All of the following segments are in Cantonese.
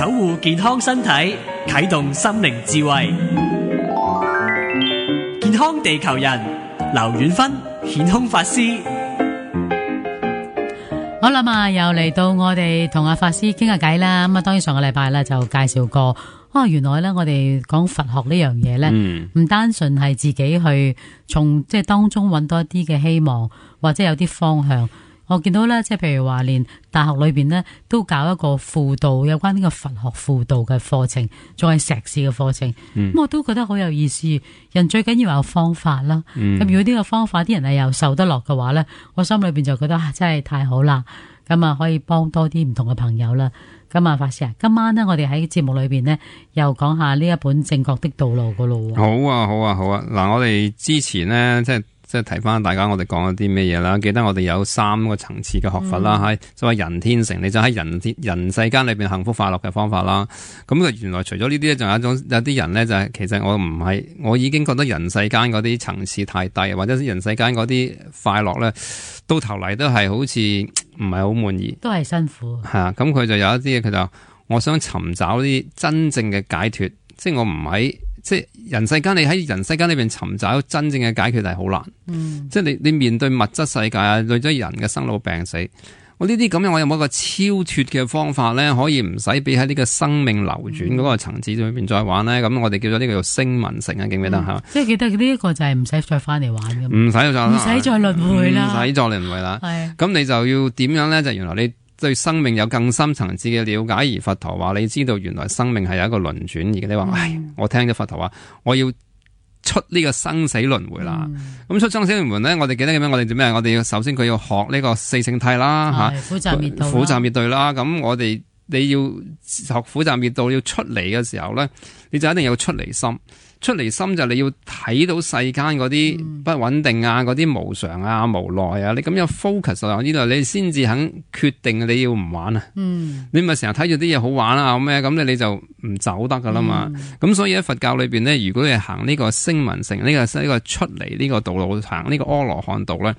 守護健康身體，啟動心靈智慧。健康地球人，劉遠芬顯空法師。好啦嘛，又嚟到我哋同阿法師傾下偈啦。咁啊，當然上個禮拜咧就介紹過，原來咧我哋講佛學呢樣嘢咧，唔單純係自己去從即係當中揾到一啲嘅希望，或者有啲方向。我見到咧，即係譬如話，連大學裏邊咧都搞一個輔導有關呢個佛學輔導嘅課程，仲係碩士嘅課程。咁我都覺得好有意思。人最緊要有方法啦。咁如果呢個方法啲人係又受得落嘅話咧，我心裏邊就覺得真係太好啦。咁啊，可以幫多啲唔同嘅朋友啦。咁啊，法師啊，今晚呢，我哋喺節目裏邊呢，又講下呢一本正確的道路噶咯。好啊。嗱，我哋之前呢，即係提翻大家，我哋講咗啲咩嘢啦？記得我哋有3個層次嘅學佛啦，係所謂人天成，你就喺人世間裏邊幸福快樂嘅方法啦。咁原來除咗呢啲咧，仲有啲人咧就係其實我已經覺得人世間嗰啲層次太低，或者人世間嗰啲快樂咧，到頭嚟都係好似唔係好滿意，都係辛苦。咁佢就有一啲嘢，佢就我想尋找啲真正嘅解脫，即係我唔喺。即係人世間，你喺人世間裏邊尋找真正嘅解決係好難。即係你面對物質世界啊，對咗人嘅生老病死，我呢啲咁樣，我有冇一個超脫嘅方法咧，可以唔使俾喺呢個生命流轉嗰個層次裏邊再玩咧？咁我哋叫咗呢個叫聲聞乘啊，記唔記得吓？即係記得呢一個就係唔使再翻嚟玩嘅，唔使再輪迴啦，唔使再輪迴啦。咁你就要點樣咧？就原來你對生命有更深層次嘅了解，而佛陀話你知道原來生命係有一個輪轉，而你話我聽咗佛陀話，我要出呢個生死輪迴啦。咁出生死輪迴咧，我哋記得咁樣，我哋做咩？我哋要首先佢要學呢個四聖諦啦，苦集滅道啦。咁你要學苦集滅道，要出嚟嘅時候咧，你就一定要出離心。出離心就你要睇到世間嗰啲不穩定啊，嗰啲無常啊、無奈啊，你咁樣 focus 喺呢度，你先至肯決定你要唔玩啊。你咪成日睇住啲嘢好玩啊咩，咁你就唔走得噶啦嘛。咁所以喺佛教裏邊咧，如果你行呢個聲聞乘呢個出嚟呢個道路，行呢個阿羅漢道咧，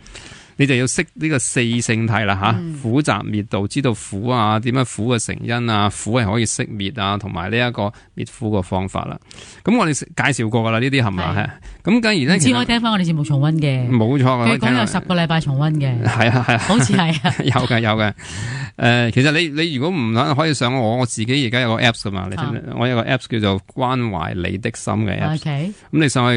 你就要識呢個四聖諦啦吓，苦集滅道，知道苦啊，點樣苦嘅成因啊，苦係可以熄滅啊，同埋呢一個滅苦嘅方法啦。咁我哋介紹過噶啦，呢啲係咪？咁假如咧，只可以聽翻我哋節目重溫嘅，冇錯。佢講有10個禮拜重溫嘅，係啊，好似係啊，有嘅。其實你如果唔可以上我自己而家有個 apps 噶嘛，我有個 apps 叫做關懷你的心嘅 apps。咁你上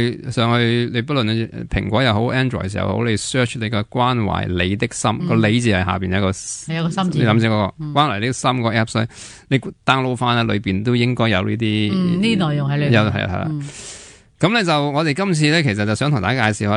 去，你不論你蘋果又好 Android 又好，你 search 你個關懷你的心，個你字係下邊有個心字，你諗先嗰個關懷你的心個 apps，你 download 翻咧，裏邊都應該有呢啲呢內容喺裏邊。有係啦。咁咧就我哋今次咧，其實就想同大家介紹下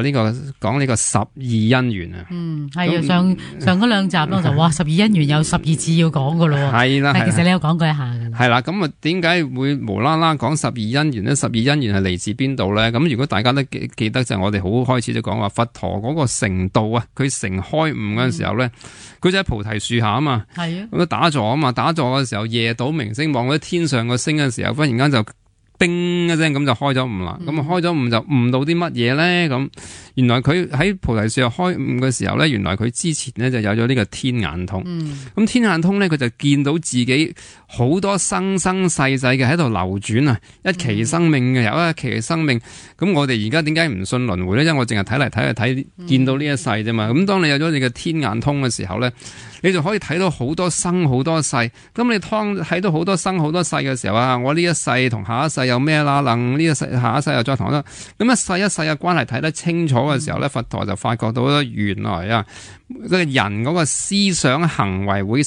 講呢個12因緣啊。係上嗰2集咯，就哇12因緣有12次要講噶咯。係啦，其實你有講過一下噶啦。係啦，咁啊點解會無啦啦講12因緣咧？12因緣係嚟自邊度咧？咁如果大家都記得就係我哋好開始就講話佛陀嗰個成道啊，佢成開悟嗰陣時候咧，佢就喺菩提樹下啊嘛。係啊。咁打坐啊嘛，打坐嘅時候夜睹明星，望嗰啲天上個星嘅時候，忽然間就叮一聲咁就開咗悟啦。咁開咗悟就悟到啲乜嘢咧？咁原來佢喺菩提樹下開悟嘅時候咧，原來佢之前咧就有咗呢個天眼通。咁天眼通咧，佢就見到自己好多生生世世嘅喺度流轉啊，一期生命嘅有一期生命。咁我哋而家點解唔信輪迴咧？因為我淨係睇嚟睇去睇見到呢一世啫嘛。咁當你有咗你嘅天眼通嘅時候咧，你就可以睇到好多生好多世。咁你睇到好多生好多世嘅時候啊，我呢一世同下一世有咩啦？能呢一世下一世又再同咁一世一世嘅關係睇得清楚嘅時候咧，佛陀就發覺到原來啊，個人嗰個思想行為會引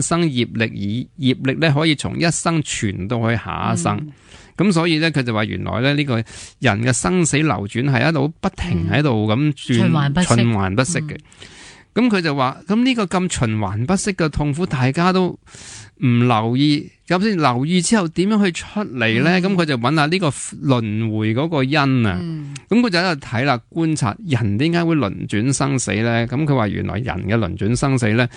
生業力，而業力咧可以從一生傳到去下一生。咁所以咧，佢就話原來咧呢個人嘅生死流轉係一路不停喺度咁轉，循環不息嘅。咁佢就話，咁呢個咁循環不息嘅痛苦，大家都唔留意，咁先留意之後點樣去出嚟咧？咁佢就揾下呢個輪迴嗰個因啊。咁佢就喺度睇啦，觀察人點解會輪轉生死咧？咁佢話原來人嘅輪轉生死咧，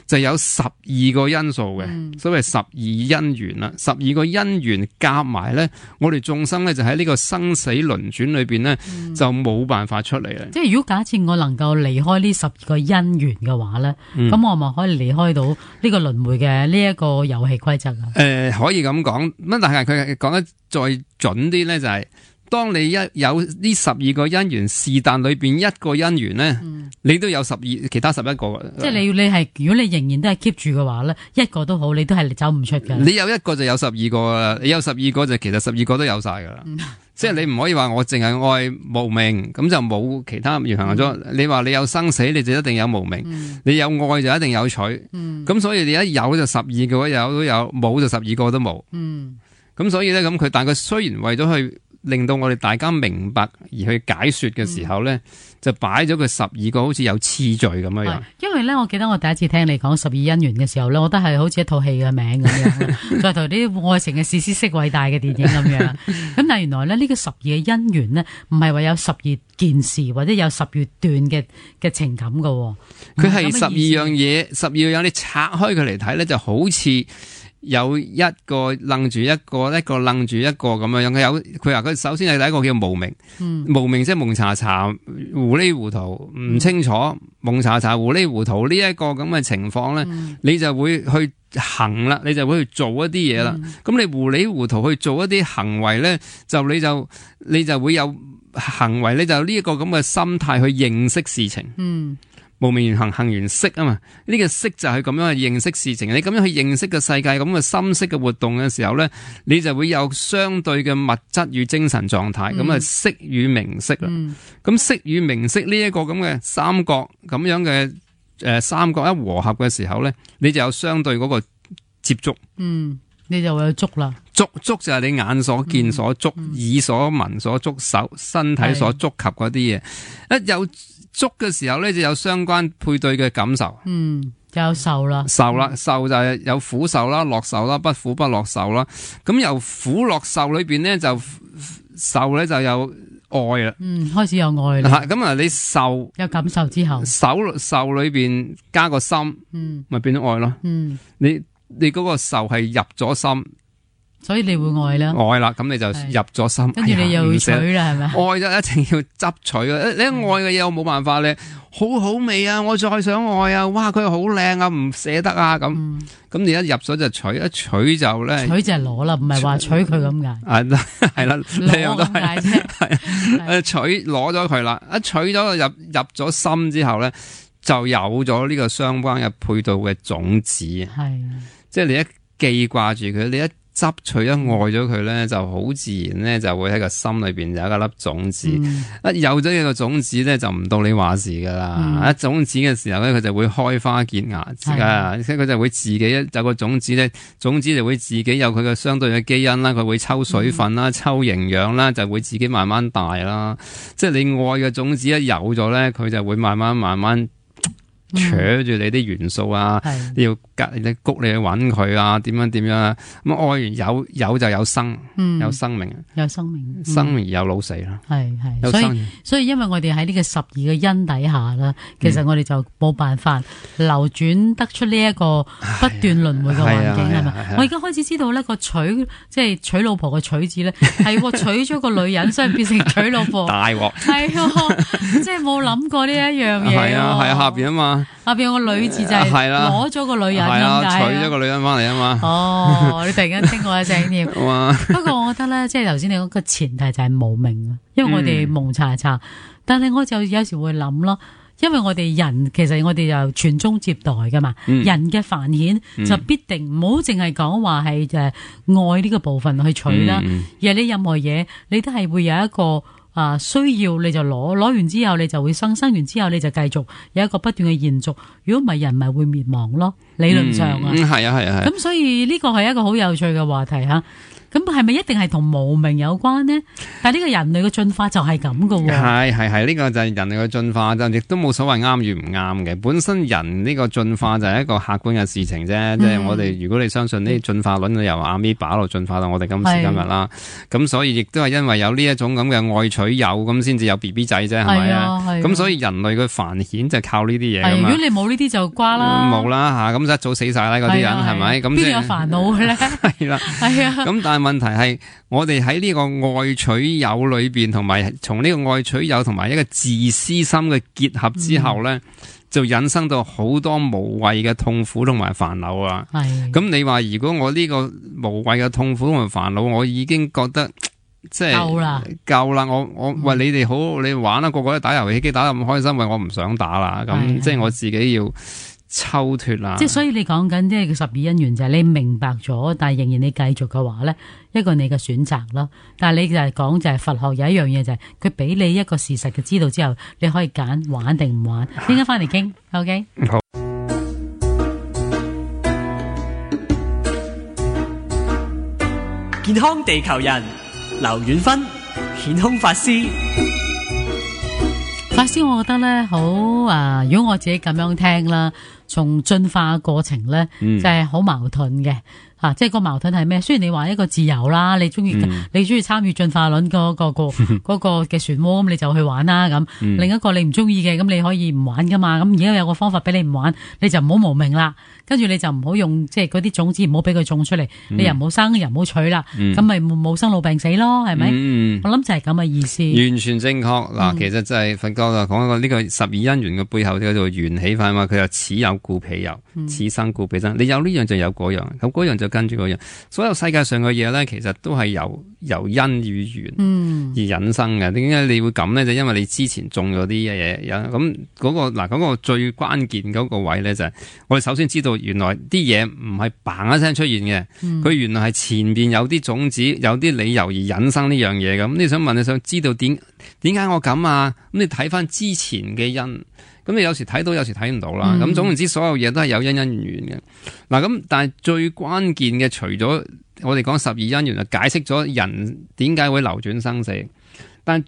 就有12個因素嘅，所謂12因緣啦，12個因緣夾埋咧，我哋眾生咧就喺呢個生死輪轉裏邊咧，就冇辦法出嚟啦。即係如果假設我能夠離開呢12個因緣嘅話咧，咁我咪可以離開到呢個輪迴嘅呢一個遊戲規則啊？可以咁講，咁但係佢講得再準啲咧，就係當你有呢12個因緣，是但裏邊一個因緣咧，你都有其他11個。即係你係如果你仍然都係 keep 住嘅話咧，一個都好，你都係走唔出㗎。你有一個就有12個啦，你有12個就其實12個都有晒㗎啦。即係你唔可以話我淨係愛無明，咁就冇其他緣行咗。你話你有生死，你就一定有無明；你有愛就一定有取。咁所以你一有就12個有都有，冇就12個都冇。咁所以咧，咁但係佢雖然為咗去令到我哋大家明白而去解說嘅時候咧，就擺咗佢12個好似有次序咁樣。因為咧，我記得我第一次聽你講12因緣嘅時候咧，我覺得係好似一套戲嘅名咁樣，再同啲愛情嘅史詩式偉大嘅電影咁樣。咁但係原來咧，呢個12嘅因緣咧，唔係話有12件事或者有12段嘅情感噶。佢係12樣嘢，12樣你拆開佢嚟睇咧，就好似有一個楞住一個，一個楞住一個咁樣樣。佢話佢首先係第一個叫無明，無明即係蒙查查、糊里糊塗、唔清楚、蒙查查、糊里糊塗呢一個咁嘅情況咧，你就會去行啦，你就會去做一啲嘢啦。咁你糊里糊塗去做一啲行為咧，你就會有行為，你就呢一個咁嘅心態去認識事情。無明緣行，行緣識啊嘛，呢個識就係咁樣去認識事情。你咁樣去認識個世界咁嘅心識嘅活動嘅時候咧，你就會有相對嘅物質與精神狀態，咁啊識與名色啦。咁識與名色呢一個咁嘅三角咁樣嘅三角一和合嘅時候咧，你就有相對嗰個接觸。你就會有觸啦。觸就係你眼所見所觸，耳所聞所觸，手身體所觸及嗰啲嘢。一有觸嘅時候咧，就有相關配對嘅感受。就有受啦。受就係有苦受啦、樂受啦、不苦不樂受啦。咁由苦樂受裏邊咧，就受咧就有愛啦。開始有愛啦。咁啊，你受有感受之後，受裏邊加個心，咪變咗愛咯。你嗰個受係入咗心。所以你會愛啦，愛啦，咁你就入咗心，跟住你又要取啦，係咪？愛就一定要執取啊！你愛嘅嘢我冇辦法咧，好好味啊！我再想愛啊！哇，佢好靚啊，唔捨得啊！咁你一入咗就取，一取就咧，取就係攞啦，唔係話取佢咁解。係啦，攞咁解啫。係取攞咗佢啦，一取咗入咗心之後咧，就有咗呢個相關嘅配套嘅種子。係，即係你一記掛住佢，你一執取一愛咗佢咧，就好自然咧，就會喺個心裏邊有一粒種子。一有咗呢個種子咧，就唔到你話事噶啦。一種子嘅時候咧，佢就會開花結芽，而且佢就會自己有個種子咧，種子就會自己有佢嘅相對嘅基因啦，佢會抽水分啦、抽營養啦，就會自己慢慢大啦。即係你愛嘅種子一有咗咧，佢就會慢慢扯住你啲元素啊，你要你谷你去揾佢啊，點樣啊？咁愛完有就有生，有生命，生命而有老死啦。係，所以因為我哋喺呢個12個因底下啦，其實我哋就冇辦法流轉得出呢一個不斷輪迴嘅環境，係咪？我而家開始知道咧，個娶即係娶老婆嘅娶字咧，係娶咗個女人，所以變成娶老婆。大鑊係，即係冇諗過呢一樣嘢。係啊，下邊啊嘛。下邊有個女字就係攞咗個女人咁解，娶咗個女人翻嚟啊嘛。哦，你突然間聽我一聲添。不過我覺得咧，即係頭先你講個前提就係無明啊，因為我哋蒙查查，但係我就有時會諗咯，因為我哋人其實我哋就傳宗接代噶嘛，人嘅繁衍就必定唔好淨係講話係愛呢個部分去取啦，而係你任何嘢你都係會有一個。需要你就攞完之後你就會生完之後你就繼續有一個不斷嘅延續，如果唔係人咪會滅亡咯，理論上啊。係啊。咁所以呢個係一個好有趣嘅話題吓。咁咁係咪一定係同無明有關呢？但係呢個人類嘅進化就係咁噶喎。係呢個就係人類嘅進化，就亦都冇所謂啱與唔啱嘅。本身人呢個進化就係一個客觀嘅事情啫，即係我哋如果你相信呢啲進化論，由阿咪巴路進化到我哋今時今日啦。咁所以亦都係因為有呢一種咁嘅愛取有，咁先至有 BB 仔啫，係咪啊？咁所以人類嘅繁衍就係靠呢啲嘢噶嘛。如果你冇呢啲就瓜啦，冇啦吓，咁一早死晒啦嗰啲人係咪？咁邊度有煩惱嘅咧？係啦，係啊。咁但係問題係，我哋喺呢個愛取有裏邊，同埋從呢個愛取有同埋一個自私心嘅結合之後咧，就引申到好多無謂嘅痛苦同埋煩惱啊。咁你話如果我呢個無謂嘅痛苦同埋煩惱，我已經覺得即係夠啦，我喂你哋好，你玩啦，個個都打遊戲機打得咁開心，喂我唔想打啦，咁即係我自己要抽脫啦。即係所以你講緊即係12因緣就係你明白咗，但係仍然你繼續嘅話咧，一個你嘅選擇咯。但係你就係講就係佛學有一樣嘢就係佢俾你一個事實嘅知道之後，你可以揀玩定唔玩。應該翻嚟傾 ，OK？ 好。健康地球人劉遠芬顯空法師，我覺得咧好如果我自己咁樣聽啦，從進化過程咧就係好矛盾嘅。即係個矛盾係咩？雖然你話一個自由啦，你中意參與進化論嗰個嘅漩渦，咁你就去玩啦咁。另一個你唔中意嘅，咁你可以唔玩噶嘛。咁而家有個方法俾你唔玩，你就唔好無明啦。跟住你就唔好用即係嗰啲種子，唔好俾佢種出嚟。你又唔好生，又唔好取啦。咁咪冇生老病死咯，係咪？我諗就係咁嘅意思。完全正確嗱，其實就係佛教就講過呢個12因緣嘅背後叫做緣起法嘛。佢又此有故彼有，此生故彼生。你有呢樣就有嗰樣，咁嗰樣就跟住嗰樣。所有世界上嘅嘢咧，其實都係由因與緣而引生嘅。點解你會咁咧？就因為你之前種咗啲嘢，咁嗰個最關鍵嗰個位咧，就係我哋首先知道原來啲嘢唔係嘭一聲出現嘅，佢原來係前邊有啲種子，有啲理由而引生呢樣嘢。咁你想知道點解我咁啊？咁你睇翻之前嘅因。咁你有時睇到，有時睇唔到啦。咁總言之，所有嘢都係有因緣嘅。嗱，咁但係最關鍵嘅，除咗我哋講12因緣，就解釋咗人點解會流轉生死。但係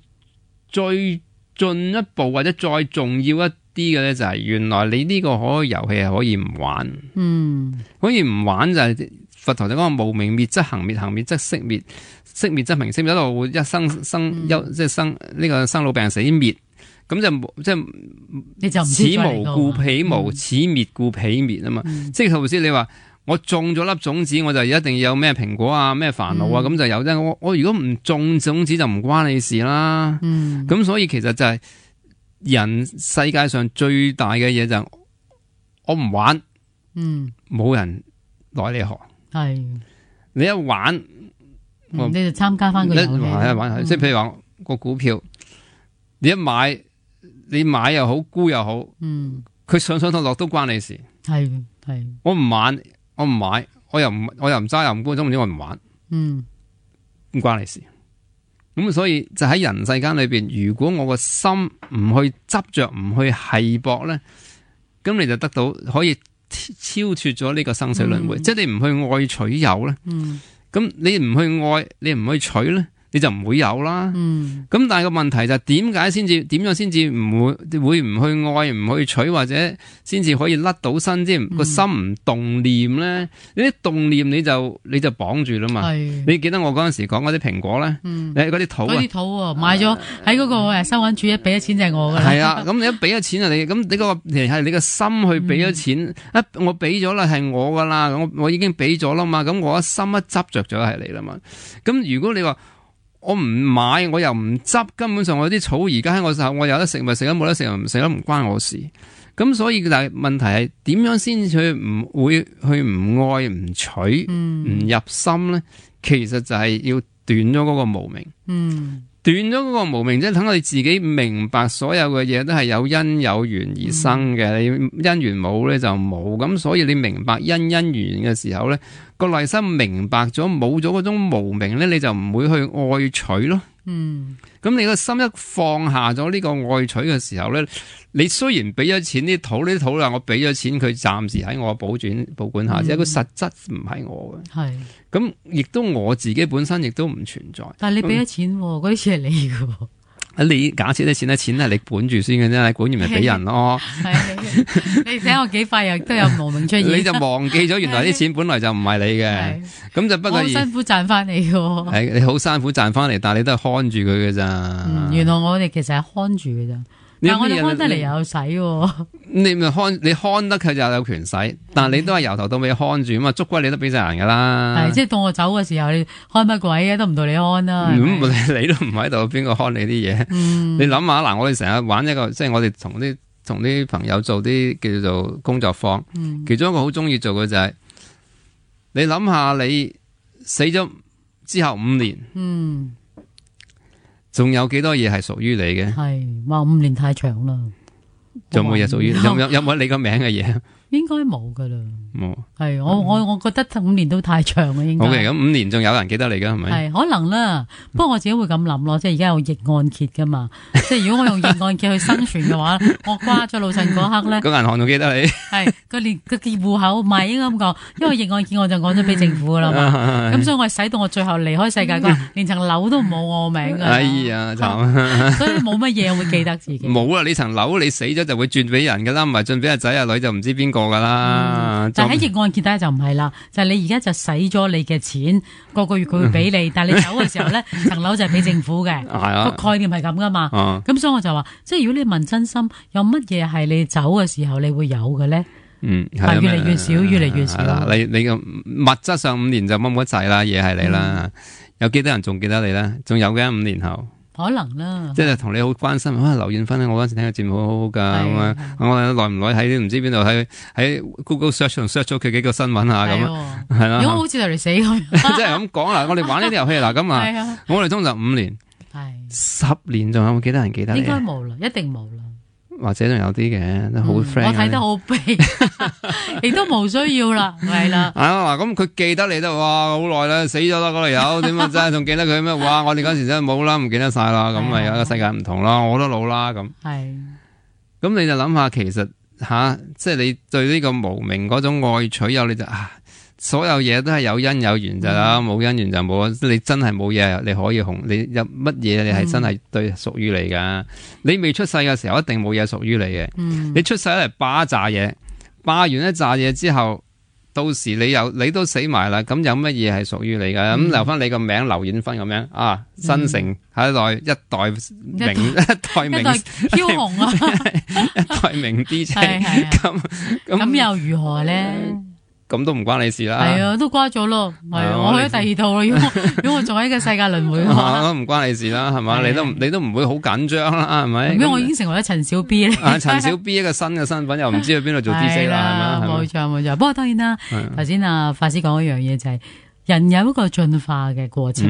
最進一步或者再重要一啲嘅咧，就係原來你呢個遊戲係可以唔玩。可以唔玩就係佛陀就講無明滅則行滅，行滅則息滅，息滅則名色滅，一路一生呢個生老病死滅。咁就此無故彼無，此滅故彼滅啊嘛。即係頭先你話我種咗粒種子，我就一定要有咩蘋果啊，咩煩惱啊，咁就有啫。我如果唔種種子就唔關你事啦。咁所以其實就係人世界上最大嘅嘢就係我唔玩，冇人來你學。係你一玩，你就參加翻個遊戲。玩即係譬如話個股票，你一買。你買又好，沽又好，佢上落都關你事。係，我唔玩，我唔買，我又唔揸又唔沽，總之我唔玩，唔關你事。咁所以就喺人世間裏邊，如果我個心唔去執着，唔去繫搏咧，咁你就得到可以超脫咗呢個生死輪迴。即係你唔去愛取有咧，咁你唔去愛，你唔去取咧，你就唔會有啦。咁但係個問題就係點樣先至唔會唔去愛唔去取，或者先至可以甩到身，即係個心唔動念咧？你啲動念你就綁住啦嘛。你記得我嗰陣時講嗰啲蘋果咧，嗰啲土買咗喺嗰個收銀處一俾咗錢就係我噶啦。係啊，咁你一俾咗錢啊，咁你個係你個心去俾咗錢，我俾咗啦係我噶啦，我已經俾咗啦嘛，咁我一心一執着咗係你啦嘛。咁如果你話我唔買，我又唔執，根本上我啲草而家喺我手，我有得食咪食，冇得食唔食都唔關我事。咁所以但係問題係點樣先去唔會去唔愛唔取唔入心咧？其實就係要斷咗嗰個無明。斷咗嗰個無明，即係等我哋自己明白所有嘅嘢都係有因有緣而生嘅。你因緣冇咧就冇，咁所以你明白因緣嘅時候咧，個內心明白咗，冇咗嗰種無明咧，你就唔會去愛取咯。咁你個心一放下咗呢個愛取嘅時候咧，你雖然俾咗錢啲土啦，我俾咗錢佢暫時喺我保管下，即係佢實質唔係我嘅。係。咁亦都我自己本身亦都唔存在。但係你俾咗錢，嗰啲錢係你嘅。你假設啲錢係你管住先嘅啫，你管完咪俾人咯。你睇我幾快又都有無名出現，你就忘記咗原來啲錢本來就唔係你嘅，咁就不過好辛苦賺翻嚟嘅。係你好辛苦賺翻嚟，但係你都係看住佢嘅咋。原來我哋其實係看住嘅咋。但係我哋看得嚟又有使，你咪你看得佢就有權使，但係你都係由頭到尾看住啊嘛，捉龜你都俾晒人噶啦。係即係到我走嘅時候，你看乜鬼嘅都唔到你看啦。你都唔喺度，邊個看你啲嘢？你諗下嗱，我哋成日玩一個，即係我哋同啲朋友做啲叫做工作坊，其中一個好中意做嘅就係，你諗下你死咗之後5年。仲有幾多嘢係屬於你嘅？係話5年太長啦，仲有冇嘢屬於？有冇你個名嘅嘢？應該冇噶啦，冇。係我覺得5年都太長啦，應該。OK，咁5年仲有人記得你噶係咪？係可能啦，不過我自己會咁諗咯，即係而家有逆按揭噶嘛，即係如果我用逆按揭去生存嘅話，我瓜咗老襯嗰刻咧，個銀行仲記得你。係個戶口唔係應該咁講，因為逆按揭我就講咗俾政府噶啦嘛，咁所以我係使到我最後離開世界嗰日，連層樓都冇我名噶。哎呀，慘！所以冇乜嘢會記得自己。冇啦，你層樓你死咗就會轉俾人噶啦，唔係轉俾阿仔阿女就唔知邊個噶啦。但係喺逆按揭底下就唔係啦，就係你而家就使咗你嘅錢，個月佢會俾你，但係你走嘅時候咧，層樓就係俾政府嘅。個概念係咁噶嘛。咁所以我就話，即係如果你問真心，有乜嘢係你走嘅時候你會有嘅咧？係越嚟越少，越嚟越少。你個物質上5年就冇乜滯啦，嘢係你啦。有幾多人仲記得你咧？仲有嘅5年後。可能啦，即係同你好關心。劉艷芬咧，我嗰陣時聽個節目好好噶，咁啊，我耐唔耐喺唔知邊度喺 Google search 咗佢幾個新聞啊，咁啊，係啦。如果好似就嚟死咁，即係咁講啦。我哋玩呢啲遊戲嗱，咁啊，我哋通常5年，係10年，仲有冇幾多人記得你？應該冇啦，一定冇啦。或者仲有啲嘅，都好 friend。我睇得好悲，亦都冇需要啦，係啦。嗱，咁佢記得你都哇好耐啦，死咗啦嗰條友，點啊真係仲記得佢咩？哇！我哋嗰時真係冇啦，唔記得晒啦，咁咪有個世界唔同啦，我都老啦咁。係。咁你就諗下，其實即係你對呢個無明嗰種愛取有，你就所有嘢都係有因有緣就啦，冇因緣就冇。你真係冇嘢，你可以你有乜嘢你係真係對屬於你噶。你未出世嘅時候，一定冇嘢屬於你嘅。你出世嚟霸一紮嘢，霸完一紮嘢之後，到時你都死埋啦。咁有乜嘢係屬於你噶？咁留翻你個名劉艷芬咁樣新城下一代名梟雄啊，一代名 DJ 咁又如何咧？咁都唔關你事啦，係啊，都瓜咗咯，係我去咗第二度咯。如果我仲喺個世界輪迴嘅話，都唔關你事啦，係嘛？你都唔會好緊張啦，係咪？因為我已經成為咗陳小 B 咧。陳小 B 一個新嘅身份，又唔知去邊度做 DJ 啦，係咪？冇錯。不過當然啦，頭先法師講一樣嘢就係。人有一個進化嘅過程，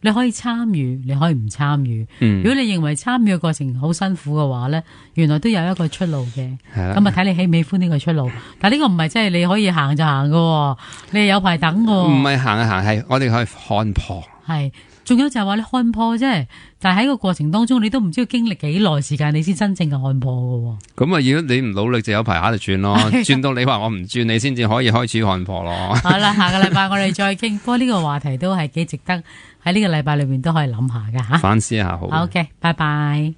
你可以參與，你可以唔參與。如果你認為參與嘅過程好辛苦嘅話咧，原來都有一個出路嘅。咁睇你喜唔喜歡呢個出路。但係呢個唔係即係你可以行就行嘅，你係有排等嘅。唔係行就行，係我哋可以看破。係，仲有就係話你看破啫，但係喺個過程當中，你都唔知要經歷幾耐時間，你先真正嘅看破嘅。咁如果你唔努力，就有排喺度轉咯，轉到你話我唔轉，你先至可以開始看破咯。好啦，下個禮拜我哋再傾。不過呢個話題都係幾值得喺呢個禮拜裏面都可以諗下㗎吓，反思下好。OK，拜拜。